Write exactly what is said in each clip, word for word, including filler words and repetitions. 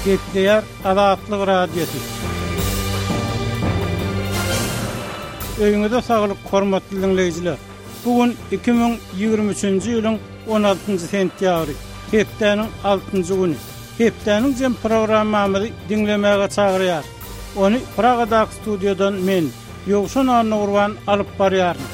Gepleýär Azatlyk Radiosy. Öýüňize saglyk, hormatly diňleýjiler. Bu gün iki müň ýigrimi üçünji ýylyň on altynjy sentýabry, hepdäniň altynjy güni. Hepdäniň jem programmamyzy diňlemäge çagyrýar. Ony Pragadaky studiýadan men, Ýowşan Annagurban alyp barýaryn.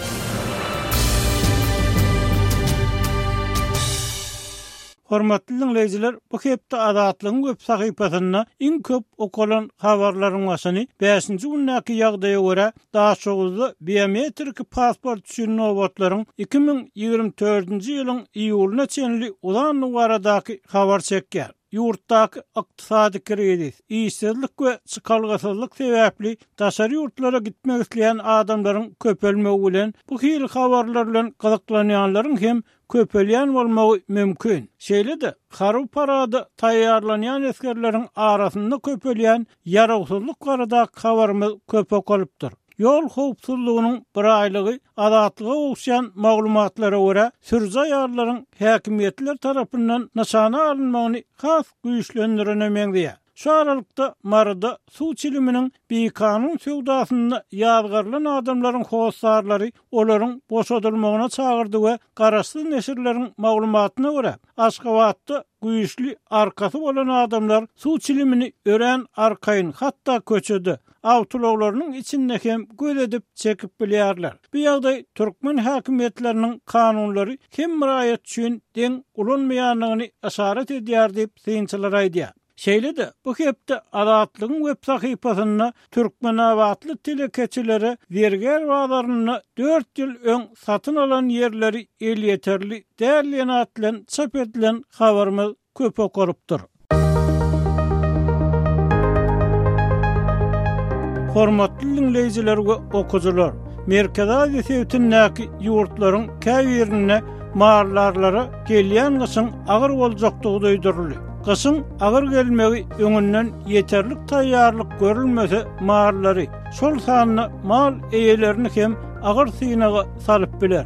Hormatly dinleýjiler, bu hepde Azatlygyň web sahypasynda iň köp okalan habarlaryň başyny bäşinji gündäki ýagdaýa görä Daşoguzda biometrik pasport üçin nobatlaryň iki müň ýigrimi dördünji ýylyň iýulyna çenli uzanlygy baradaky habar çekýär. Ýurtdaky ykdysady krizis, işsizlik we çykalgasyzlyk sebäpli daşary ýurtlara gitmek isleýän adamlaryň köpelmegi bilen bu hili habarlar bilen gyzyklanýanlaryň hem köpelýän bolmagy mümkin. Şeýle-de harby parada taýýarlanýan esgerleriň arasynda köpelýän ýarawsyzlyk baradaky habarymyz köp okalypdyr. Ýol howpsuzlygynyň bir aýlygy Azatlyga gowuşýan maglumatlara görä sürüji aýallaryň häkimiýetler tarapyndan nyşana alynmagyny has güýçlendirene meňzeýär. Şu aralykda Maryda suw çiliminiň bikanun söwdasynda ýazgarylan adamlaryň hossarlary olaryň boşadylmagyna çagyrdy we garaşsyz neşirleriň maglumatyna görä Aşgabatda güýçli arkasy bolan adamlar suw çilimini örän arkaýyn, hatda köçede awtoulaglarynyň içinde hem göz edip çekip bilýärler. Bu ýagdaý türkmen häkimiýetleriniň kanunlary hem raýat üçin deň ulanmaýandygyny işaret edýär diýip synçylar aýdýar. Şeýle-de bu hepde Azatlygyň web sahypasynda Türkmenabatly telekeçilere zergär bazarynda dört ýyl öň satyn alan ýerleri elýeterli däl diýen at bilen çap edilen habarymyz köp okalypdyr. Hormatly dinleýjiler we okyjylar, Merkezi Aziýa sebitindäki ýurtlaryň käbirinde mallarlara gelýän gyşyň agyr boljakdygy duýduryldy. Gyşyň agyr gelmegi öňünden ýeterlik taýýarlyk görülmese mallary, şol sanda mal eýelerini hem agyr synaga salyp biler.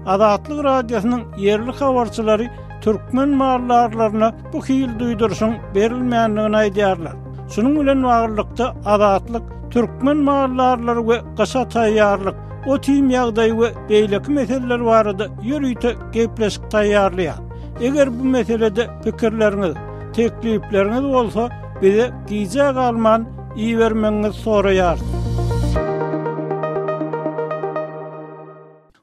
Azatlyk Radiosynyň ýerli habarçylary türkmen mallarlaryna bu hil duýduryşyň berilmändigini aýdýarlar. Şunuň bilen baglylykda Azatlyk türkmen mallarlary we gyşa taýýarlyk, o tim ýagdaýy we beýleki meseleler barada ýörite gepleşik taýýarlaýar. Eger bu meselede pikirleriňiz, teklipleriňiz bolsa bize gijä galman ibermegiňizi soraýarys.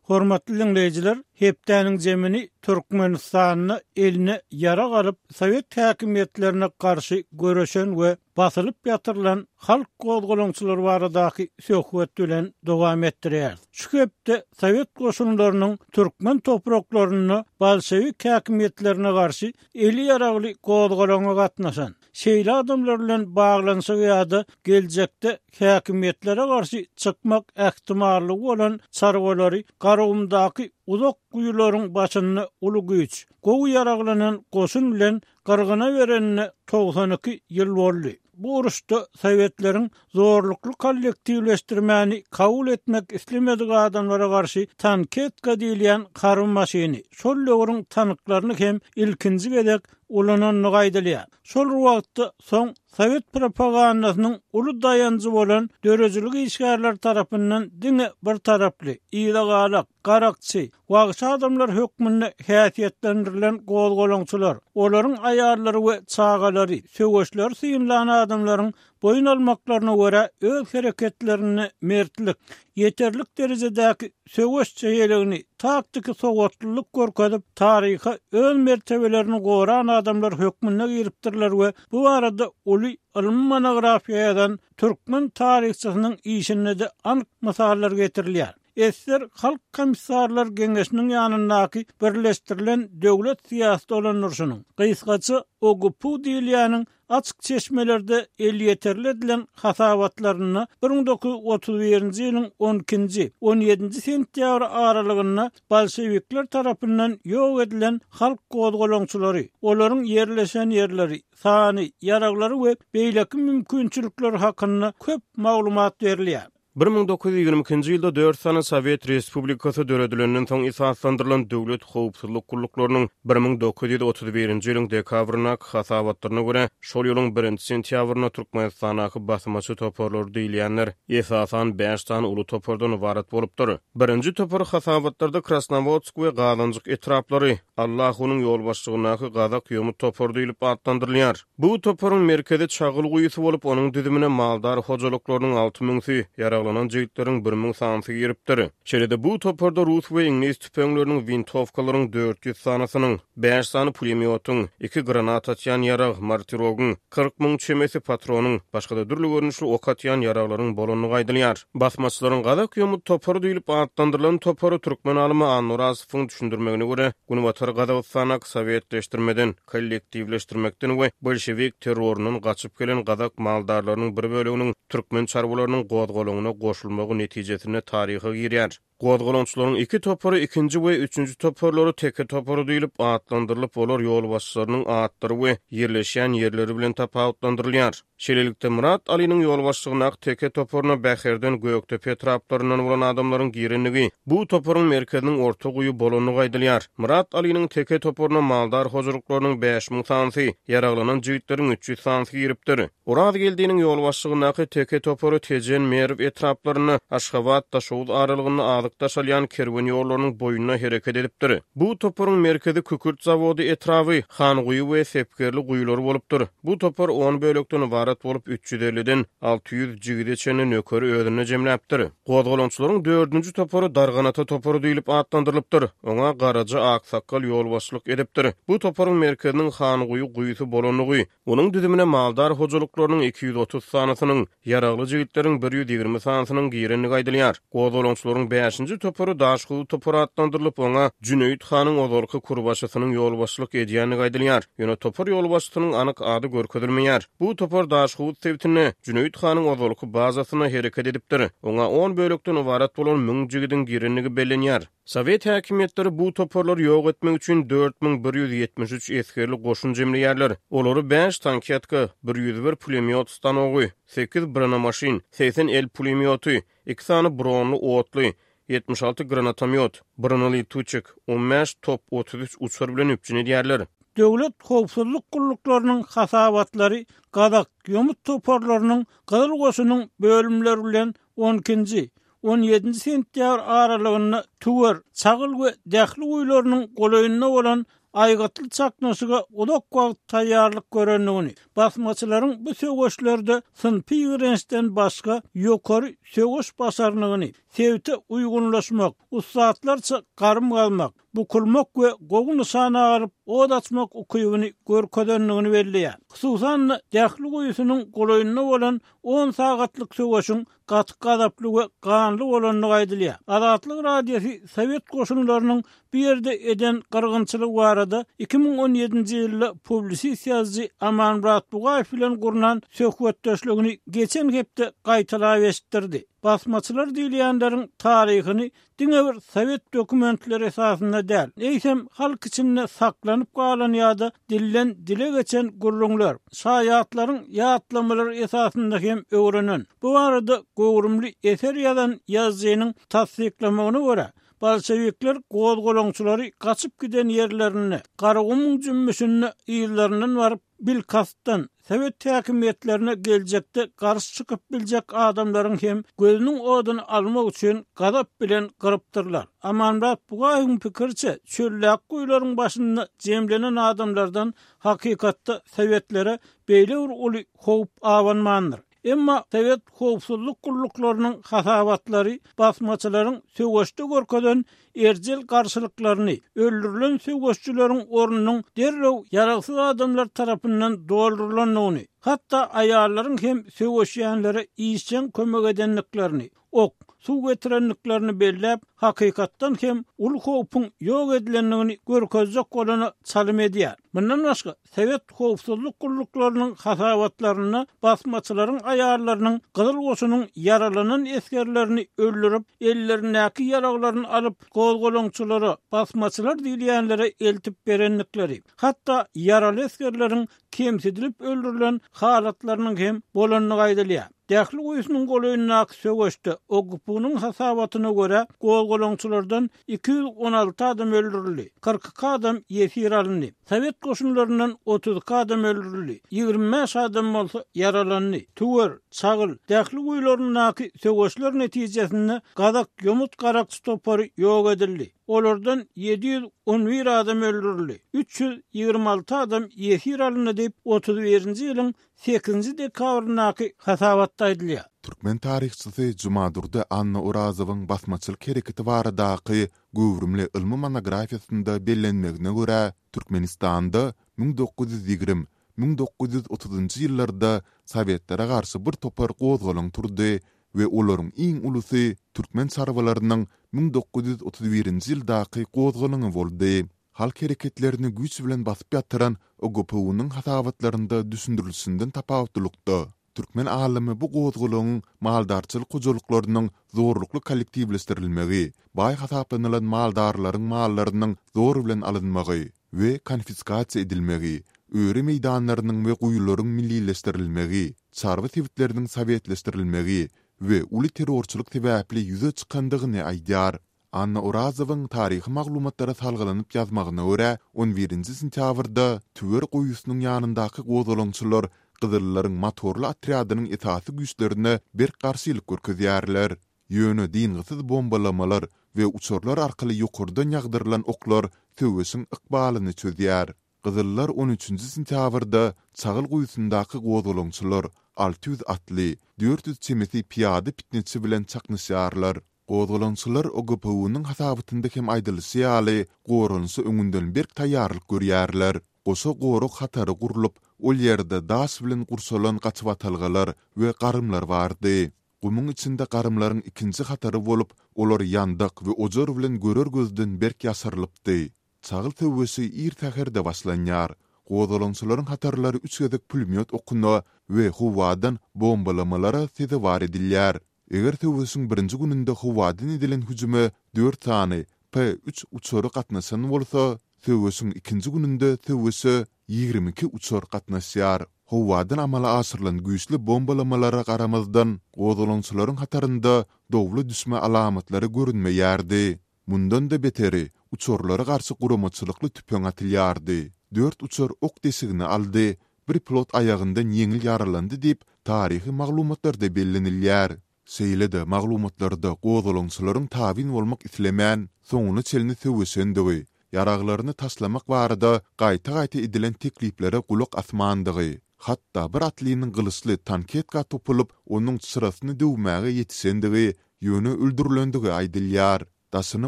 Hormatly dinleýjiler, hepdäniň zemini Türkmenistanda eline ýara galyp Sowet häkimiýetlerine garşy göreşen we basylyp ýatyrylan halk gozgalaňçylary baradaky söhbet bilen dowam etdirýär. Şu hepde Sowet goşunlarynyň türkmen topraklarynda bolşewik häkimiýetlerine garşy eli ýaragly gozgalaňa gatnaşan, şeýle adamlar bilen baglanyşygy ýa-da geljekde häkimiýetlere garşy çykmak ähtimallygy bolan çarwalary Garagumdaky uzak guýularyň başynda uly güýç, gowy ýaraglanan goşun bilen gyrgyna berenine togsan iki ýyl boldy. Bu uruşda Sowetleriň zorlukly kollektiwleşdirmäni kabul etmek islemedik adamlara garşy tanketka diýilýän harby maşyny, şol döwrüň tanklaryny hem ilkinji gezek ulanandygy aýdylýar. Şol wagtda soň Sowet propagandasynyň uly daýanjy bolan döredijilik işgärleri tarapyndan diňe bir taraply, yzagalak, garakçy, wagşy adamlar hökmünde häsiýetlendirilen gozgalaňçylar, olaryň aýallary we çagalary, söweşleri synlan adamlaryň boýun almaklaryna görä öz hereketlerinde mertlik, ýeterlik derejedäki söweş çeýeligini, taktiki sowatlylyk görkezip, taryha öz mertebelerini goran adamlar hökmünde giripdirler we bu arada uly ylmy monografiýa ýazan türkmen taryhçysynyň işinde de anyk mysallar getirilýär. Esser Halk Komissarlar Geňeşiniň ýanyndaky birleşdirilen döwlet syýasy dolandyryşynyň, gysgaça O G P U diýilýäniň açyk çeşmelerde elýeterli edilen hasabatlarynda bir müň dokuz ýüz otuz birinji ýylyň on ikinji, on ýedinji sentýabr aralygynda bolşewikler tarapyndan ýok edilen halk gozgalaňçylary, olaryň ýerleşen ýerleri, sany, ýaraglary we beýleki mümkinçilikler hakynda köp maglumat berilýär. Bir müň dokuz ýüz ýigrimi ikinji ýylda dört sany Sowet Respublikasy döredilenden soň esaslandyrylan döwlet howpsuzlyk gulluklarynyň bir müň dokuz ýüz otuz birinji ýylyň dekabryndaky hasabatlaryna görä, şol ýylyň birinji sentýabrynda Türkmenistandaky basmaçy toparlary diýilýänler esasan bäş sany uly topardan ybarat bolupdyr. Birinji topar hasabatlarda Krasnowodsk we Gazanjyk etraplary Allahunyň ýolbaşçylygyndaky Gazak ýomut topary diýlip atlandyrylýar. Bu toparyň merkezi Çagyl guýusy bolup, onuň düzümine maldar hojalyklarynyň alty müňsi, ýaraglanan jigitleriň bir müň sanysy giripdir. Şeýle-de bu toparda rus we iňlis tüpeňleriniň wintowkalaryň dört ýüz sanysynyň, bäş sany pulemýotyň, iki granat atýan ýarag, mortirogyň, kyrk müň çemesi patronyň, başga-da dürli görnüşli ok atýan ýaraglaryň bolandygy aýdylýar. Basmaçylaryň Gazak ýomut topary diýlip atlandyrylan topary türkmen alymy Annurazowuň düşündirmegine görä, Günbatar Gazagystandaky sowetleşdirmeden, kollektiwleşdirmekden we bolşewik terrorundan gaçyp gelen gazak maldarlarynyň bir böleginiň türkmen çarwalarynyň gozgalaňyna goşulmagy netijesinde taryha girýär. Gozgalaňçylaryň iki topary ikinji we üçünji toparlary teke topary diýlip atlandyrylyp, olar ýolbaşçylarynyň atlary we ýerleşýän ýerleri bilen tapawutlandyrylýar. Şeýlelikde Murat Alynyň ýolbaşçylygyndaky teke toparyna Bäherden Gökdepe etraplaryndan bolan adamlaryň girendigi, bu toparyň merkeziniň orta guýy bolandygy aýdylýar. Murat Alynyň teke toparyna maldar hojalyklarynyň bäş müň sanysy, ýaraglanan jigitleriň üç ýüz sanysy giripdir. Oraz Geldiniň ýolbaşçylygyndaky teke topary Tejen Merw etraplarynda Aşgabat Daşoguz aralygynda azyk daşalýan kerwen ýollarynyň boýunda hereket edipdir. Bu toparyň merkezi Kükürt zawody etraby, Hanguýy we Sepgerli guýulary bolupdyr. Bu topar on bölekden ybarat bolup, üç ýüz elliden alty ýüz jigide çenli nökeri özünde jemläpdir. Gozgalaňçylaryň dördünji topary Darganata topary diýlip atlandyrylypdyr. Oňa Garaja Aksakgal ýolbaşçylyk edipdir. Bu toparyň merkeziniň Hanguýy guýusy bolandygy, onuň düzümine maldar hojalyklarynyň iki ýüz otuz sanysynyň, ýaragly jigitleriň bir ýüz ýigrimi sanysynyň girendigi aýdylýar. Gozgalaňçylaryň bäşinji topary Daşguz topary atlandyrylyp, oňa Jüneýit hanyň ozalky kurbaşysynyň ýolbaşçylyk edýändigi aýdylýar. Ýöne topar ýolbaşçysynyň anyk ady görkezilmeýär. Bu topar Daşguz sebitinde Jüneýit hanyň ozalky bazasynda hereket edipdir. Oňa on bölekden ybarat bolan müň jigidiň girendigi bellenýär. Sowet häkimiýetleri bu toparlary ýok etmek üçin dört müň bir ýüz ýetmiş üç esgerli goşun jemleýärler. Olary bäş tanketka, bir ýüz bir pulemýot stanogy, sekiz bronemaşin, seksen el pulemýoty, iki sany bronly otly, ýetmiş alty granatomýot, bronelituçik, on bäş top otuz üç uçar bilen üpjün edýärler. Döwlet howpsuzlyk gulluklarynyň hasabatlary Gazak ýomut toparlarynyň Gyzyl goşunyň bölümleri bilen on ikinji, on ýedinji sentýabr aralygynda Tüwer, Çagyl we Dähli guýularynyň golaýynda bolan aýgytly çaknyşyga uzak wagt taýýarlyk görendigini, basmaçylaryň bu söweşlerde synpy ýigrençden başga ýokary söweş başarnygyny, sebite uýgunlaşmak, ussatlarça garym galmak, bukulmak we gowy nyşana alyp od açmak ukybyny görkezendigini belleýär. Hususan-da Dähli guýusynyň golaýynda bolan on sagatlyk söweşiň gaty gazaply we ganly bolandygy aýdylýar. Azatlyk Radiosy Sowet goşunlarynyň bu ýerde eden gyrgynçylygy barada iki müň on ýedinji ýylda publisist ýazyjy Amanmyrat Bugaýew bilen gurnan söhbetdeşligini geçen hepde gaýtalap eşitdirdi. Basmaçylar diýilýänleriň taryhyny diňe bir sowet dokumentleri esasynda däl, eýsem halk içinde saklanyp galan ýa-da dilden dile geçen gürrüňler, şaýatlaryň ýatlamalary esasynda hem öwrenen. Bu barada göwrümli eser ýazan ýazyjynyň tassyklamagyna görä, bolşevikler gozgalaňçylary gaçyp giden ýerlerinde, Garagumuň jümmüşinde ýyllaryndan baryp bilkastdan Sowet häkimiýetlerine geljekde garşy çykyp biljek adamlaryň hem gözüniň oduny almak üçin gazap bilen gyrypdyrlar. Amanmyrat Bugaýewiň pikiriçe, çöllek guýularyň başynda jemlenen adamlardan hakykatda sowetlere beýle bir uly howp abanmandyr. Emma Sowet howpsuzlyk gulluklarynyň hasabatlary basmaçylaryň söweşde görkezen erjel garşylyklaryny, öldürilen söweşçileriň ornunyň derrew ýaragsyz adamlar tarapyndan doldurylandygyny, hatda aýallaryň hem söweşýänlere işjeň kömek edendiklerini, ok, suw getirendiklerini belläp, hakykatdan hem uly howpuň ýok edilendigini görkezjek bolana çalym edýär. Mundan başga Sowet howpsuzlyk gulluklarynyň hasabatlarynda basmaçylaryň aýallarynyň Gyzyl goşunyň ýaralanan esgerlerini öldürip, ellerindäki ýaraglaryny alyp, gozgalaňçylara, basmaçylar diýilýänlere eltip berendikleri, hatda ýaraly esgerleriň kemsidilip öldürilen halatlarynyň hem bolandygy aýdylýar. Dähli guýusynyň golaýyndaky söweşde O G P U-nyň hasabatyna görä gozgalaňçylardan iki ýüz on alty adam öldürildi, kyrk iki adam ýesir alyndy. Sowet goşunlaryndan otuz iki adam öldürildi, ýigrimi bäş adam bolsa ýaralandy. Tüwer, Çagyl, Dähli guýularyndaky söweşler netijesinde Gazak ýomut garakçy topary ýok edildi. Olardan ýedi ýüz on bir adam öldürildi, üç ýüz ýigrimi alty adam ýesir alyndy diýip otuz birinji ýylyň sekizinji dekabryndaky hasabatda aýdylýar. Türkmen taryhçysy Jumadurdy Anna Orazowyň basmaçylyk hereketi baradaky göwrümli ylmy monografiýasynda bellenmegine görä, Türkmenistanda müň dokuz ýüz ýigrimi, müň dokuz ýüz otuzynjy ýyllarda Sowetlere garşy bir topar gozgalaň turdy we olaryň iň ulusy türkmen çarwalarynyň müň dokuz ýüz otuz birinji ýyldaky gozgalaňy boldy. Halk hereketlerini güýç bilen basyp ýatyran O G P U-nyň hasabatlarynda düşündirilişinden tapawutlylykda, türkmen alymy bu gozgalaňyň maldarçylyk hojalyklarynyň zorlukly kollektiwleşdirilmegi, baý hasaplanylan maldarlaryň mallarynyň zor bilen alynmagy we konfiskasiýa edilmegi, öri meýdanlarynyň we guýularyň millileşdirilmegi, çarwa sebitleriniň sowetleşdirilmegi we uly terrorçylyk sebäpli ýüze çykandygyny aýdýar. Anna Orazowyň taryhy maglumatlara salgylanyp ýazmagyna görä, on birinji sentýabrda Tüwer guýusynyň ýanyndaky gozgalaňçylar Gyzyllaryň motorly otrýadynyň esasy güýçlerine berk garşylyk görkezýärler. Ýöne dyngysyz bombalamalar we uçarlar arkaly ýokardan ýagdyrylan oklar söweşiň ykbalyny çözýär. Gyzyllar on üçünji sentýabrda Çagyl guýusyndaky gozgalaňçylar alty ýüz atly, dört ýüz çemesi piýada pitneçi bilen çaknyşýarlar. Gozgalaňçylar O G P U-nyň hasabatynda hem aýdylyşy ýaly, goranyşy öňünden berk taýýarlyk görýärler. Goşa gorag hatary gurlup, ol ýerde daş bilen gurşalan gaçybatalgalar we garymlar bardy. Gumuň içinde garymlaryň ikinji hatary bolup, olar ýandak we ojar bilen görer gözden berk ýaşyrylypdy. Çagyl söweşi ir säherde başlanýar. Gozgalaňçylaryň hatarlary üç gezek pulmýot okuna we howadan bombalamalara sezewar edilýär. Eger söweşiň birinji gününde howadan edilen hüjüme dört sany P üç uçary gatnaşan bolsa, söweşiň ikinji gününde söweşe ýigrimi iki uçar gatnaşýar. Howadan amala aşyrylan güýçli bombalamalara garamazdan, gozgalaňçylaryň hatarynda dowla düşme alamatlary görünmeýärdi. Mundan da beteri, uçarlara garşy guramaçylykly tüpeň atylýardy. Dört uçar ok deşigini aldy, bir pilot aýagyndan ýeňil ýaralandy diýip, taryhy maglumatlarda bellenilýär. Şeýle-de maglumatlarda gozgalaňçylaryň tabyn bolmak islemän, soňuna çenli söweşendigi, ýaraglaryny taşlamak barada gaýta-gaýta edilen tekliplere gulak asmandygy, hatda bir atlynyň gylyçly tanketka topulyp, onuň çyrasyny döwmäge ýetişendigi, ýöne öldürilendigi aýdylýar. Daşyny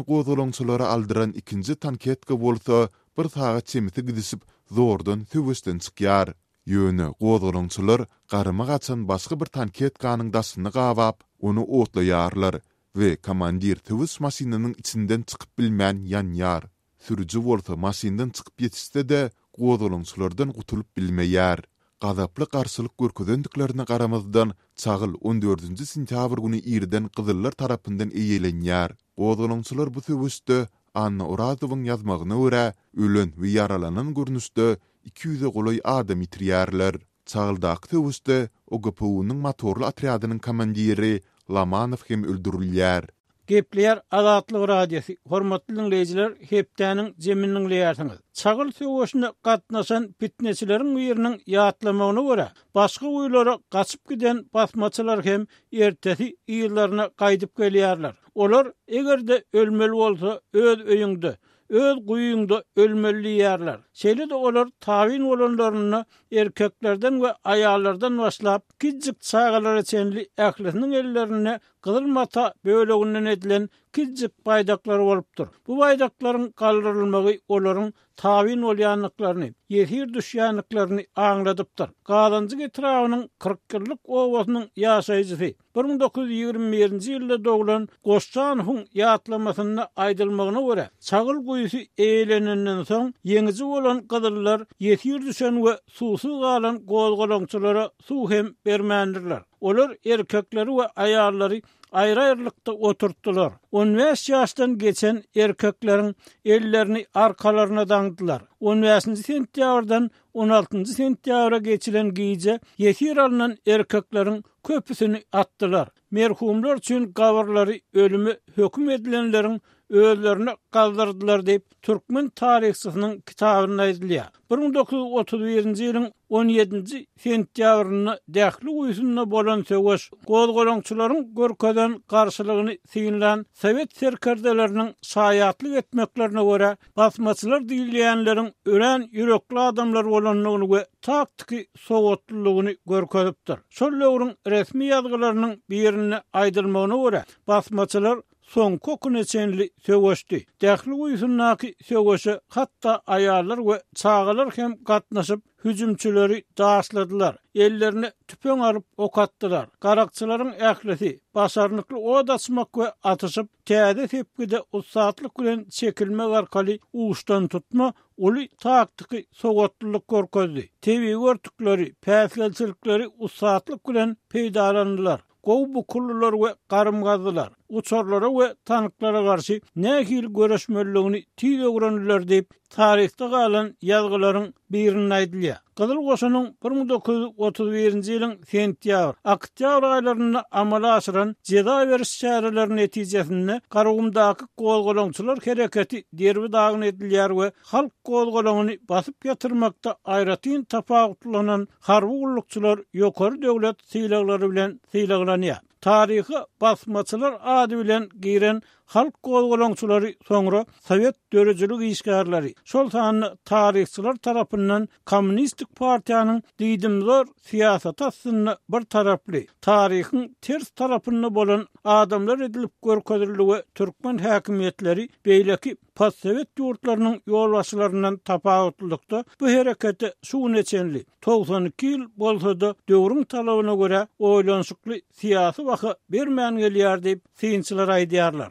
gozgalaňçylara aldyran ikinji tanketka bolsa bir sagat çemesi gidişip zordan söweşden çykýar. Ýöne gozgalaňçylar garyma gaçan başga bir tanketkanyň daşyny gabap, ony otlaýarlar we komandir söweş maşynynyň içinden çykyp bilmän ýanýar. Sürüji bolsa maşyndan çykyp ýetişse-de gozgalaňçylardan gutulyp bilmeýär. Gazaply garşylyk görkezendiklerine garamazdan, Çagyl on dördünji sentýabr güni irden Gyzyllar tarapyndan eýelenýär. Gozgalaňçylar bu söweşde Anna Orazowyň ýazmagyna görä, ölen we ýaralanan görnüşde iki ýüze golaý adam ýitirýärler. Çagyldaky söweşde O G P U-nyň motorly otrýadynyň komandiri Lamanow hem öldürilýär. Gepleýär Azatlyk Radiosy. Hormatly dinleýjiler, hepdäniň jemini dinleýärsiňiz. Çagyl söweşine gatnaşan pitneçileriň biriniň ýatlamagyna görä, başga guýulara gaçyp giden basmaçylar hem ertesi ýyllaryna gaýdyp gelýärler. Olar eger-de ölmeli bolsa öz öýüňde, öz guýuňda ölmeli diýýärler. Şeýle-de olar tabyn bolanlarynda erkeklerden we aýallardan başlap kiçijik çagalara çenli ählisiniň ellerinde gyzyl mata böleginden edilen kiçijik baýdaklar bolupdyr. Bu baýdaklaryň galdyrylmagy olaryň tabyn bolýandyklaryny, ýesir düşýändiklerini aňladypdyr. Gazanjyk etrabynyň kyrk ýyllyk obasynyň ýaşaýjysy bir müň dokuz ýüz ýigrimi birinji ýylda doglan Goşjanowyň ýatlamasynda aýdylmagyna görä, Çagyl guýusy eýlenenden soň ýeňiji bolan gyzyllar ýesir düşen we suwsuz galan gozgalaňçylara suw hem bermändirler. Olar erkekleri we aýallary aýry-aýrylykda oturtdylar. On bäş ýaşdan geçen erkekleriň ellerini arkalaryna daňdylar. On bäşinji sentýabrdan on altynjy sentýabra geçilen gije ýesir alnan erkekleriň köpüsini atdylar. Merhumlar üçin gabyrlary ölüme höküm edilenleriň özlerine gazdyrdylar diýip, türkmen taryhçysynyň kitabynda aýdylýar. Bir müň dokuz ýüz otuz birinji ýylyň on ýedinji sentýabrynda Dähli guýusynda bolan söweş gozgalaňçylaryň görkezen garşylygyny synlan sowet serkerdeleriniň şaýatlyk etmeklerine görä, basmaçylar diýilýänleriň örän ýürekli adamlar bolandygyny we taktiki sowatlylygyny görkezipdir. Şol döwrüň resmi ýazgylarynyň birinde aýdylmagyna görä, basmaçylar soňky okuna çenli söweşdi. Dähli guýusyndaky söweşe hatda aýallar we çagalar hem gatnaşyp, hüjümçileri daşladylar. Ellerine tüpeň alyp ok atdylar. Garakçylaryň ählisi başarnykly od açmak we atyşyp, täze sepgide ussatlyk bilen çekilmek arkaly uçdan tutma uly taktiki sowatlylyk görkezdi. Tebigy örtükleri, päsgelçilikleri ussatlyk bilen peýdalandylar. Gowy bukullular we garym gazdylar. Uçarlara we tanklara garşy nähili göreşmeliligini tiz öwrendiler diýip, taryhda galan ýazgylaryň birinde aýdylýar. Gyzyl goşunyň bir müň dokuz ýüz otuz birinji ýylyň sentýabr, oktýabr aýlarynda amala aşyran jeza beriş çäreleri netijesinde Garagumdaky gozgalaňçylar hereketi derbi-dagyn edilýär we halk gozgalaňyny basyp ýatyrmakda aýratyn tapawutlanan harby gullukçylar ýokary döwlet sylaglary bilen sylaglanýar. Taryhy basmaçylar ady bilen giren halk gozgalaňçylary soňra Sowet döredijilik işgärleri, şol sanda taryhçylar tarapyndan Kommunistik partiýanyň diýdimzor syýasaty astynda bir taraply, taryhyň ters tarapynda bolan adamlar edilip görkezildi we türkmen häkimiýetleri beýleki postsowet ýurtlarynyň ýolbaşçylaryndan tapawutlylykda bu herekete şu güne çenli togsan iki ýyl bolsa-da döwrüň talabyna görä oýlanyşykly syýasy baha bermän gelýär diýip synçylar aýdýarlar.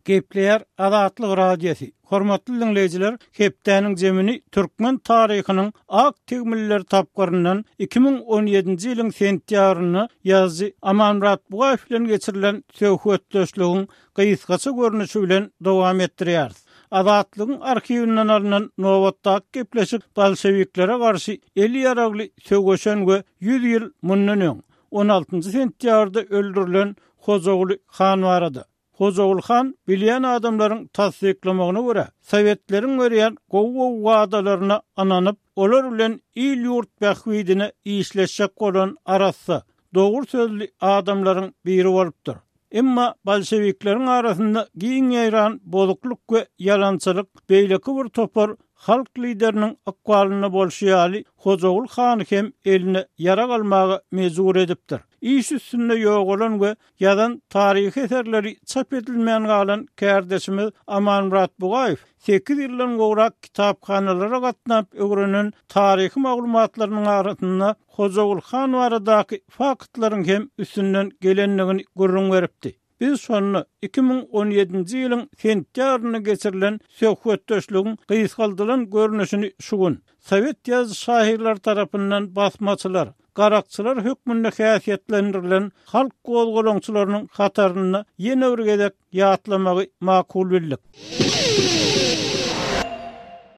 Gepleýär Azatlyk Radiosy. Hormatly dinleýjiler, hepdäniň jemini türkmen taryhynyň ak tegmiller tapgyryndan iki müň on ýedinji ýylyň sentýabrynda ýazyjy Amanmyrat Bugaýew bilen geçirilen söhbetdeşligiň gysgaça görnüşi bilen dowam etdirýäris. Azatlygyň arhiwinden alnan nobatdaky gepleşik bolşewiklere garşy eli ýaragly söweşen we ýüz ýyl mundan öň on altynjy sentýabrda öldürilen Hojaguly han barada. Hojaguly han bilýän adamlaryň tassyklamagyna görä, sowetleriň berýän gowy-gowy wadalaryna ynanyp, olar bilen il-ýurt bähbidine işleşjek bolan arassa, dogry sözli adamlaryň biri bolupdyr. Emma bolşewikleriň arasynda giň ýaýran bozukluk we ýalançylyk beýleki bir topar halk lideriniň ykbalynda bolşy ýaly Hojaguly hany hem eline ýarag almaga mejbur edipdir. Iş üstünde ýogalan we ýazan taryhy eserleri çap edilmän galan kärdeşimiz Amanmyrat Bugaýew sekiz ýyldan gowrak kitaphanalara gatnap öwrenen taryhy maglumatlarynyň arasynda Hojaguly han baradaky faktlaryň hem üstünden gelendigini gürrüň beripdi. Biz şonda iki müň on ýedinji ýylyň sentýabrynda geçirilen söhbetdeşligiň gysgaldylan görnüşini şu gün Sowet ýazyjy şahyrlar tarapyndan basmaçylar, garakçylar hökmünde häsiýetlendirilen halk gozgalaňçylarynyň hatarynda ýene bir gezek ýatlamagy makul bildik.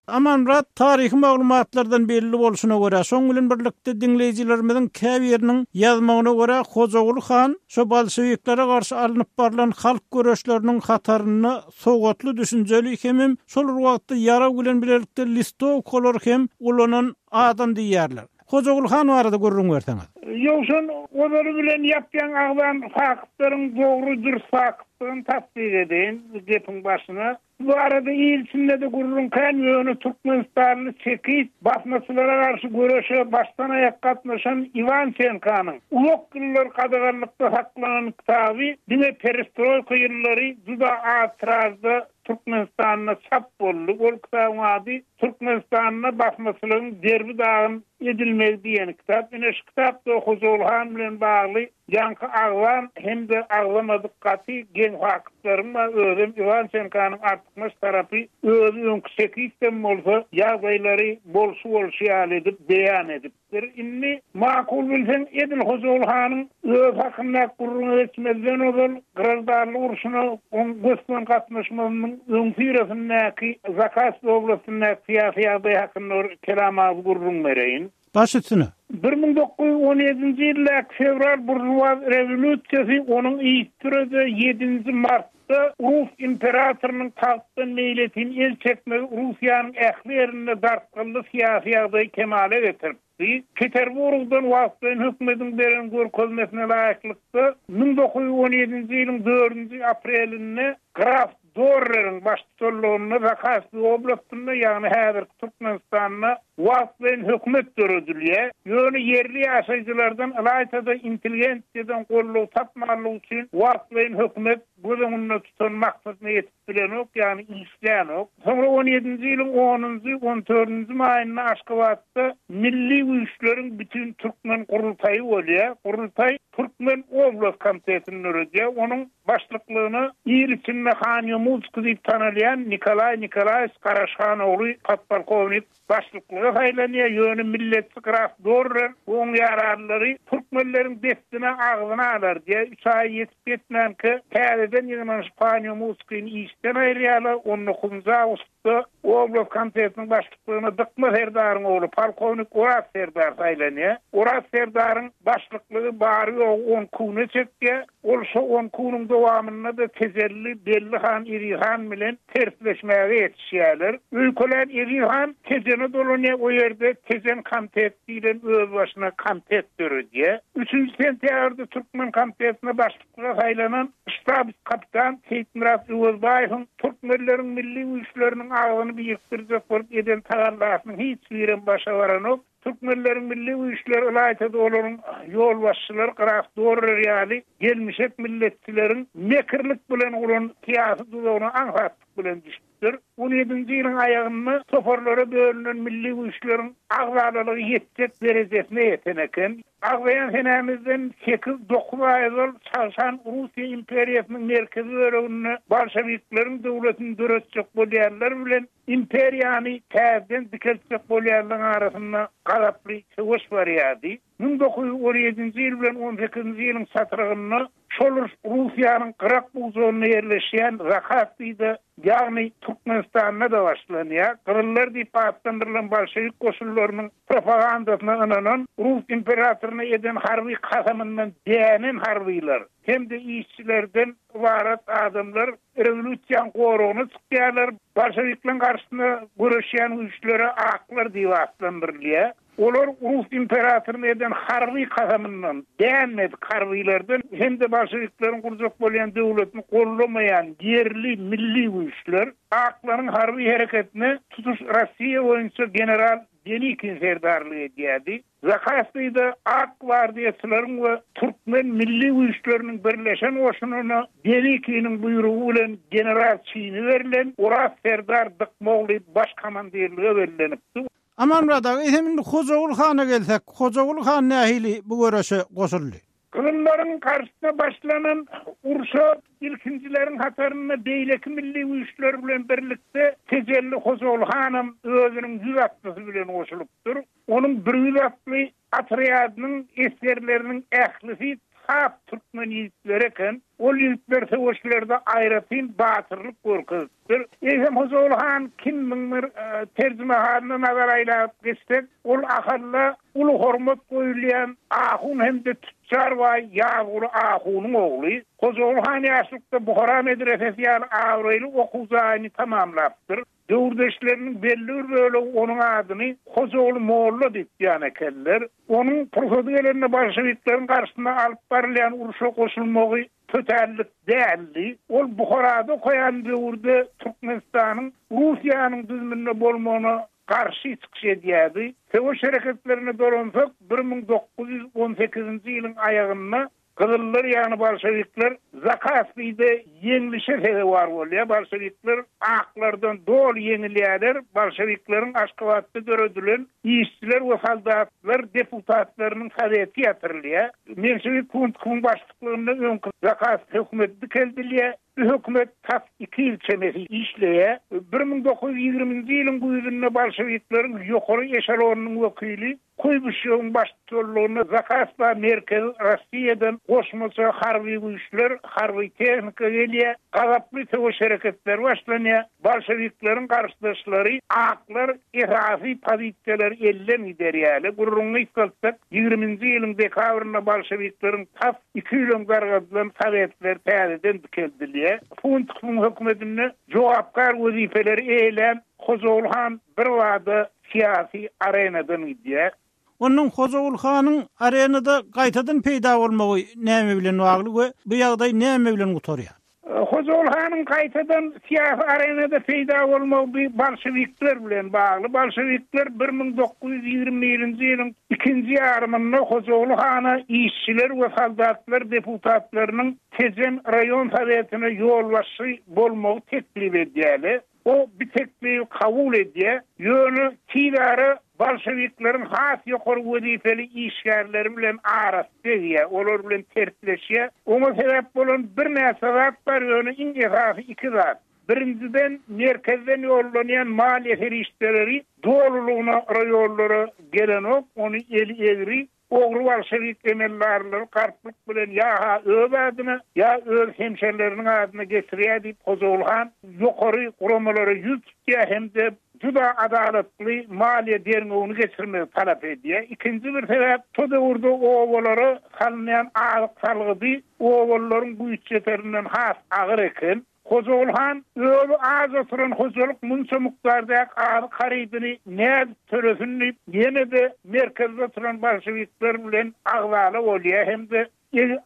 Amanmyrat, taryhy maglumatlardan belli bolşuna görä, şoň bilen birlikde dinleýjilerimiziň käbiriniň ýazmagyna görä Hojaguly han şo bolşewiklere garşy alnyp barlan halk göreşleriniň hatarynda sowatly düşünjeli hemem şol bir wagtda ýarag bilen birlikde listowkalar hem ulanan adam diýýärler. Hojaguly han barada gürrüň berseňiz. Ýowşan olary bilen ýapýan agzan faktlaryň dogry dürs faktlaryny tasdik edin gepiň başyna. Bu arada il içinde de gürrüň kän ýöne Türkmenistanly çekit basmaçylara garşy göreşe başdan aýak gatnaşan Iwan Senkanyň uzak ýyllar gadaganlykda saklanan kitaby diňe perestroýka ýyllary juda az tirajda Türkmenistanda çap boldy. Ol kitabyň ady Türkmenistanda basmaçylygyň derbi dagyn edilmegi diýen kitap. Ine şu kitapda Hojaguly han bilen bagly ýaňky agzan hem-de agzamadyk gaty geň faktlaryň bar. Özem Iwan Senkanyň artykmaç tarapy özi öňki çekitden bolsa ýagdaýlary bolşy bolşy ýaly edip beýan edipdir. edipdir. Indi makul bilseň edil Hojaguly hanyň öz hakyndaky gürrüňe geçmezden ozal Graždanlyk urşuna oň gös-göni gatnaşmagynyň öňüsyrasyndaky Zakaspi oblastyndaky syýasy ýagdaý hakynda bir kelam agyz gürrüň bereýin. Baş üstüne. Bir müň dokuz ýüz on ýedinji ýyldaky fewral buržuaz rewolýusiýasy onuň yzysüre-de ýedinji martda Rus imperatorynyň tagtdan meýletin el çekmegi Russiýanyň ähli ýerinde dartgynly syýasy ýagdaýy kemala getiripdi. Peterburgdan wagtlaýyn hökümetiň beren görkezmesine laýyklykda müň dokuz ýüz on ýedinji ýylyň dördünji aprelinde Graf Dorreriň baştutanlygynda Zakaspi oblastynda, ýagny häzirki Türkmenistanda wagtlaýyn hökümet döredilýär. Ýöne ýerli ýaşaýjylardan ylaýta-da intelligensiýadan goldaw tapmanlygy üçin wagtlaýyn hökümet göz öňünde tutan maksadyna ýetip bilenok, ýagny işlänok. Soňra on ýedinji ýylyň onunjy, on dördünji maýynda Aşgabatda milli güýçleriň bütün türkmen gurultaýy bolýar. Gurultaý Türkmen oblast komitetini döredýär. Onuň başlyklygyna il içinde Han Ýomutskiý diýip tanalýan Nikolaý Nikolaýewiç Garaşhanogly podpolkownik başlyklyga saýlanýar. Ýöne milletçi Graf Dorrer we oň ýaranlary türkmenleriň destine agzyna alar diýe üç aý ýetip ýetmänkä täzeden ýygnanyşyp Han Ýomutskiýni işden aýyrýarlar. on dokuzynjy awgustda oblast komitetiniň başlyklygyna Dykma Serdaryň ogly polkownik Oraz Serdar saýlanýar. Oraz Serdaryň başlyklygy bary ýogy on küne çekýär. Ol şo on küniň dowamynda-da Tejelli Belli han Eziz han bilen tersleşmäge ýetişýärler. Öýkelän Eziz han Tejene dolanýar, o ýerde Tejen komitet diýlen öz başyna komitet döredýär. Üçünji sentýabrda Türkmen komitetine başlyklyga saýlanan ştab kapitan Seýitmyrat Öwezbaýewiň türkmenleriň milli güýçleriniň agzyny birikdirjek bolup eden tagallasynyň hiç birem başa baranok. Türkmenleriň milli güýçleri ylaýta-da olaryň ýolbaşçylary Graf Dorrer ýaly gelmişek milletçileriň mekirlik bilen guran syýasy duzagyna aňsatlyk bilen düşüpdir. On ýedinji ýylyň aýagynda toparlara bölünen milli güýçleriň agzalalygy ýetjek derejesine ýeten eken. Agzaýan senämizden sekiz dokuz aý ozal Çagşan Russiýa imperiýasynyň merkezi böleginde bolşewikleriň döwletini döretjek bolýanlar bilen imperiýany täzeden dikeltjek bolýanlaryň arasynda gazaply söweş barýardy. Müň dokuz ýüz on ýedinji ýyl bilen on sekizinji ýylyň çatrygynda şol Russiýanyň Gyrak buzagynda ýerleşýän Zakaspide, ýagny Türkmenistanda da başlanýar. Gyzyllar diýip atlandyrylan bolşewik goşunlarynyň propagandasyna ynanan Rus imperatoryna eden harby kasamyndan dänen harbylar hem-de işçilerden ybarat adamlar rewolýusiýanyň goragyna çykýarlar. Bolşewikleriň garşysyna göreşýän güýçlere aklar diýip atlandyrylýar. Olar Rus imperatoryna eden harby kasamyndan dänmedik harbylardan hem-de bolşewikleriň gurjak bolýan döwletini gollamaýan ýerli milli güýçler aklaryň harby hereketine tutuş Russiýa boýunça general Denikin serdarlyk edýärdi. Zakaspide ak gwardiýaçylaryň we türkmen milli güýçleriniň birleşen goşunyna Denikiniň buýrugy bilen general çini berlen Oraz Serdar Dykmogly baş komandirlige bellenipdi. Amanmyrat aga, eýsem indi Hojaguly hana gelsek, Hojaguly han nähili bu göreşe goşuldy? Gyzyllaryň garşysyna başlanan urşa ilkinjileriň hatarynda beýleki milli güýçler bilen birlikde Tejelli Hojaguly hanam özüniň ýüz atlysy bilen goşulypdyr. Onuň bir ýüz atly otrýadynyň esgerleriniň ählisi sap türkmen ýigitleri eken. Ol ýigitler söweşlerde aýratyn batyrlyk görkezipdir. Eýsem Hojaguly han kimmiň bir, e, terjimehalyna nazar aýlap geçsek, ol ahalla uly hormat goýulýan ahun hem-de tüçjar baý Ýazguly ahunyň ogly. Hojaguly han ýaşlykda Buhara medresesi ýaly abraýly okuw jaýyny tamamlapdyr. Döwürdeşleriniň belli bir bölegi onuň adyny Hojaguly Molla diýip diýen ekenler. Onuň pursady gelende bolşewikleriň garşysyna alyp barylýan urşa goşulmagy tötänlik däldi. Ol Buharada okaýan döwürde Türkmenistanyň Russiýanyň düzüminde bolmagyna garşy çykyş edýärdi. Söweş hereketlerine dolansak, bir müň dokuz ýüz on sekizinji ýylyň aýagynda Gyzyllar, ýagny bolşewikler Zakaspide ýeňlişe sezewar bolýar. Bolşewikler aklardan doly ýeňilýärler. Bolşewikleriň Aşgabatda döredilen işçiler we soldatlar deputatlarynyň soweti ýatyrylýar. Menşewik Kuntkuň başlyklygynda öňki Zakaspi hökümeti dikeldilýär. Bu hökümet tas iki ýyl çemesi işleýär. Bir müň dokuz ýüz ýigriminji ýylyň güýzünde bolşewikleriň ýokary eşelonynyň wekili Kuýbyşewiň baştutanlygynda Zakaspa merkezi Rossiýadan goşmaça harby güýçler, harby tehnika gelýär, gazaply söweş hereketleri başlanýar, bolşewikleriň garşydaşlary aklar esasy pozisiýalary elden giderýärler. Gürrüňi gysgaltsak, ýigriminji ýylyň dekabrynda bolşewikleriň tas iki ýyl öň dargadylan sowetler täzeden dikeldilýär. Funtowyň hökümetinde jogapkär wezipeleri eýelän Hojaguly han birbada syýasy arenadan gidýär. Onuň Hojaguly hanyň arenada gaýtadan peýda bolmagy näme bilen bagly we bu ýagdaý näme bilen gutarýar? Hojaguly hanyň gaýtadan syýasy arenada peýda bolmagy bu bolşewikler bilen bagly. Bolşewikler bir müň dokuz ýüz ýigrimi birinji ýylyň ikinji ýarymynda Hojaguly hana işçiler we soldatlar deputatlarynyň Tejen raýon sowetine ýolbaşçy bolmagy teklip edýärler. O bir teklibi kabul edýär, ýöne tiz ara bolşewikleriň has ýokary wezipeli işgärleri bilen arasy degýär, olar bilen tersleşýär. Oňa sebäp bolan birnäçe zat bar, ýöne iň esasy iki zat. Birinjiden, merkezden ýollanýan maliýe serişdeleri dolulygyna raýonlara gelenok, ony eli egri ogry bolşewik emeldarlary garplyk bilen ýa-ha öz adyna, ýa öz hemşerileriniň adyna geçirýär diýip Hojaguly han ýokary guramalara ýüz tutýar hem-de juda adalatly maliýe derňewini geçirmegi talap edýär. Ikinji bir sebäp, şo döwürde obalara salynýan azyk salgydy obalylaryň güýç ýeterinden has agyr eken. Hojaguly han özi az oturan hojalyk munça mukdardaky azyk harydyny nädip tölesin diýip, ýene-de merkezde oturan bolşewikler bilen agzala bolýar hem-de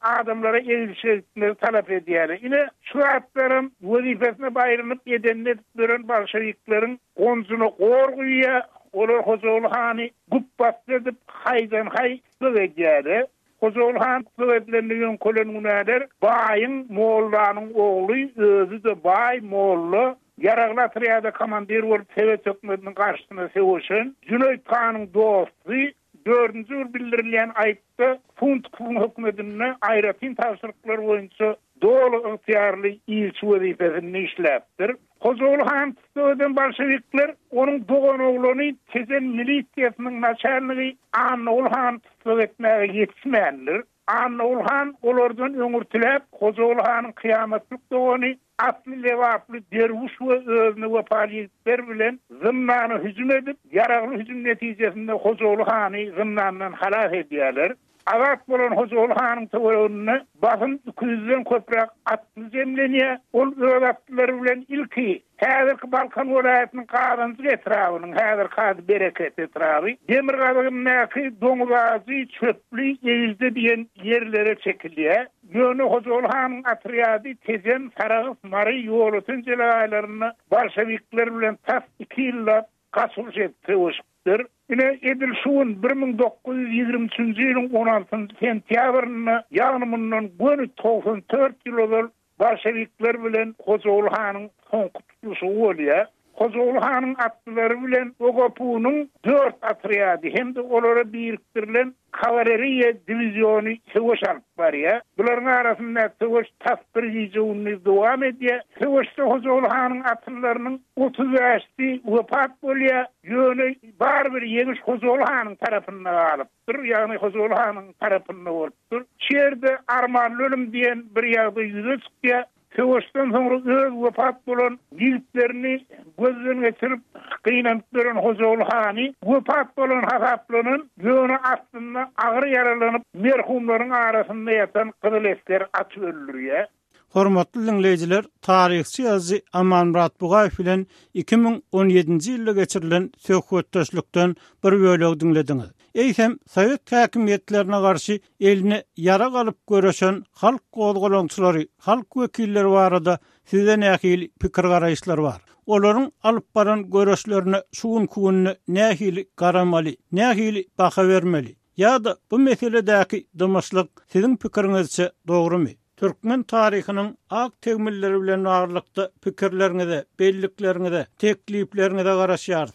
adamlara egilşik etmegi talap edýär. Ine, şu zatlaram wezipesine baýrynyp edenini edip beren bolşewikleriň gonjuna gor guýýar, olar Hojaguly hany güpbasdy edip, haýdan-haý tussag edýärler. Hojaguly han tussag edilende ýöňkelen günäler baýyň mollanyň ogly, özi-de baý molla, ýaragly otrýada komandir bolup Sowet hökümetiniň garşysyna söweşen Jüneýt hanyň dosty, dördünji bir bildirilýän aýypda Funtowyň hökümetinde aýratyn tabşyryklar boýunça doly ygtyýarly ilçi wezipesinde işläpdir. Hojaguly han tussag eden bolşewikler onuň dogan oglany Tejen milisiýasynyň naçalnigi Annaguly han tussag etmäge ýetişmändir. Annaguly han olardan öňürtiläp Hojaguly hanyň kyýamatlyk dogany atly lebaply derwüş we özüne wepaly ýigitler bilen zyndana hüjüm edip, ýaragly hüjüm netijesinde Hojaguly hany zyndandan halas edýärler. Azat bolan Hojaguly hanyň töwereginde basym iki ýüzden köpräk atly jemlenýär. Ol öz atlylary bilen ilki häzirki Balkan welaýatynyň Gazanjyk etrabynyň, häzirki ady Bereket etraby, demirgazygyndaky Doňuzajy, Çöpli, Egilje diýen ýerlere çekilýär. Ýöne Hojaguly hanyň otrýady Tejen, Sarahs, Mary, Ýolöten jelegaýlarynda bolşewikler bilen tas iki ýyllap gaçyş edip söweşipdir. Ine, edil şu gün bir müň dokuz ýüz ýigrimi üçünji ýylyň on altynjy sentýabrynda, ýagny mundan göni togsan dört ýyl ozal bolşewikler bilen Hojaguly hanyň soňky tutluşygy bolýar. Hojaguly hanyň atlylary bilen O G P U-nyň dört otrýady hem-de olara birikdirilen kawaleriýa diwiziony söweş alyp barýar. Bularyň arasyndaky söweş tas bir gije-gündiz dowam edýär. Söweşde Hojaguly hanyň atlylarynyň otuz bäşi wepat bolýar. Ýöne barybir ýeňiş Hojaguly hanyň tarapynda galypdyr, ýagny Hojaguly hanyň tarapynda bolupdyr. Şu ýerde armanly ölüm diýen bir ýagdaý ýüze çykýar. Söweşden soňra öz wepat bolan ýigitlerini gözden geçirip, gynanyp beren Hojaguly hany wepat bolan hasaplanan, ýöne aslynda agyr ýaralanyp, merhumlaryň arasynda ýatan gyzyl esger atyp öldürýär. Hormatly dinleýjiler, taryhçy ýazyjy Amanmyrat Bugaýew bilen iki müň on ýedinji ýylda geçirilen söhbetdeşlikden bir bölegi diňlediňiz. Eýsem, Sowet häkimiýetlerine garşy eline ýarag alyp göreşen halk gozgalaňçylary, halk wekilleri barada size nähili pikir garaýyşlar bar? Olaryň alyp baran göreşlerine şu günkü günde nähili garamaly, nähili baha bermeli? Ýa-da bu meseledäki dymaşlyk siziň pikiriňizçe dogrumy? Türkmen taryhynyň ak tegmilleri bilen baglylykda pikirleriňize, bellikleriňize, teklipleriňize garaşýarys.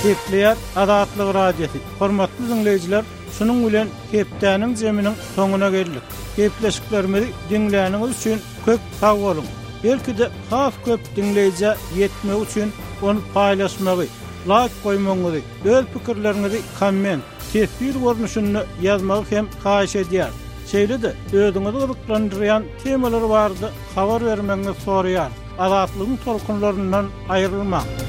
Gepleýär Azatlyk Radiosy. Hormatly dinleýjiler, şunuň bilen hepdäniň zeminiň soňuna geldik. Gepleşiklerimizi diňläniňiz üçin köp sag boluň. Belki-de has köp dinleýjä ýetmek üçin ony paýlaşmagy, laýk goýmagyňyzy, öz pikirleriňizi komment, teswir görnüşinde ýazmagy hem haýyş edýäris. Şeýle-de özüňizi gyzyklandyrýan temalar barada habar bermegiňizi soraýarys. Azatlygyň tolkunlaryndan aýrylmaň.